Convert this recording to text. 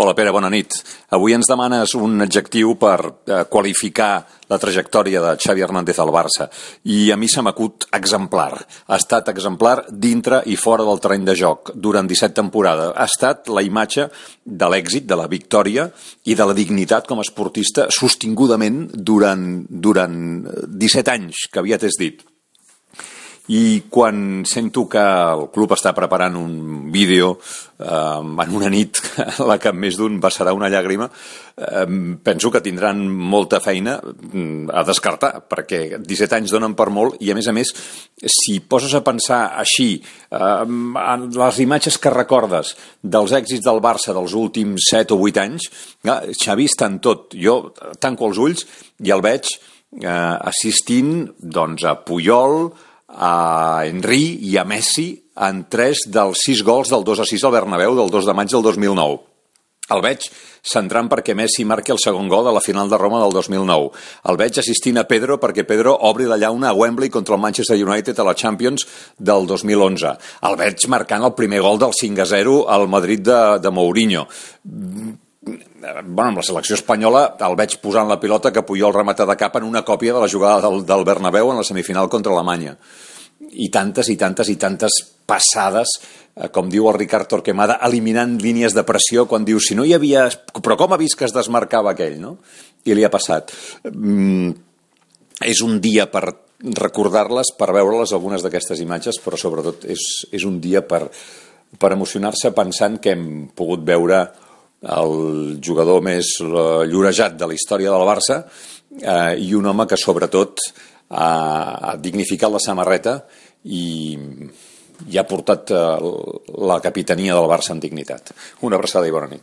Hola Pere, bona nit. Avui ens demanes un adjectiu per qualificar la trajectòria de Xavi Hernández al Barça i a mi se m'acut exemplar. Ha estat exemplar dintre i fora del terreny de joc durant 17 temporades. Ha estat la imatge de l'èxit, de la victòria i de la dignitat com a esportista sostingudament durant 17 anys, que aviat és dit. I quan sento que el club està preparant un vídeo en una nit en la que més d'un vessarà una llàgrima, penso que tindran molta feina a descartar, perquè 17 anys donen per molt i, a més, si poses a pensar així en les imatges que recordes dels èxits del Barça dels últims 7 o 8 anys, Xavi està en tot. Jo tanco els ulls i el veig assistint a Puyol, a Henry i a Messi en 3 dels 6 gols del 2-6 al Bernabéu del 2 de maig del 2009. El veig centrant perquè Messi marqui el segon gol de la final de Roma del 2009. El veig assistint a Pedro perquè Pedro obri la llauna a Wembley contra el Manchester United a la Champions del 2011. El veig marcant el primer gol del 5-0 al Madrid de Mourinho. Amb la selecció espanyola el veig posant la pilota que Puyol remata de cap en una còpia de la jugada del Bernabéu en la semifinal contra Alemanya. I tantes passades, com diu el Ricard Torquemada, eliminant línies de pressió quan diu, si no hi havia... Però com ha vist que es desmarcava aquell, no? I li ha passat. És un dia per recordar-les, per veure-les, algunes d'aquestes imatges, però sobretot és un dia per emocionar-se pensant que hem pogut veure el jugador més llorejat de la història del Barça i un home que sobretot ha dignificat la samarreta i ha portat la capitania del Barça amb dignitat. Una abraçada i bona nit.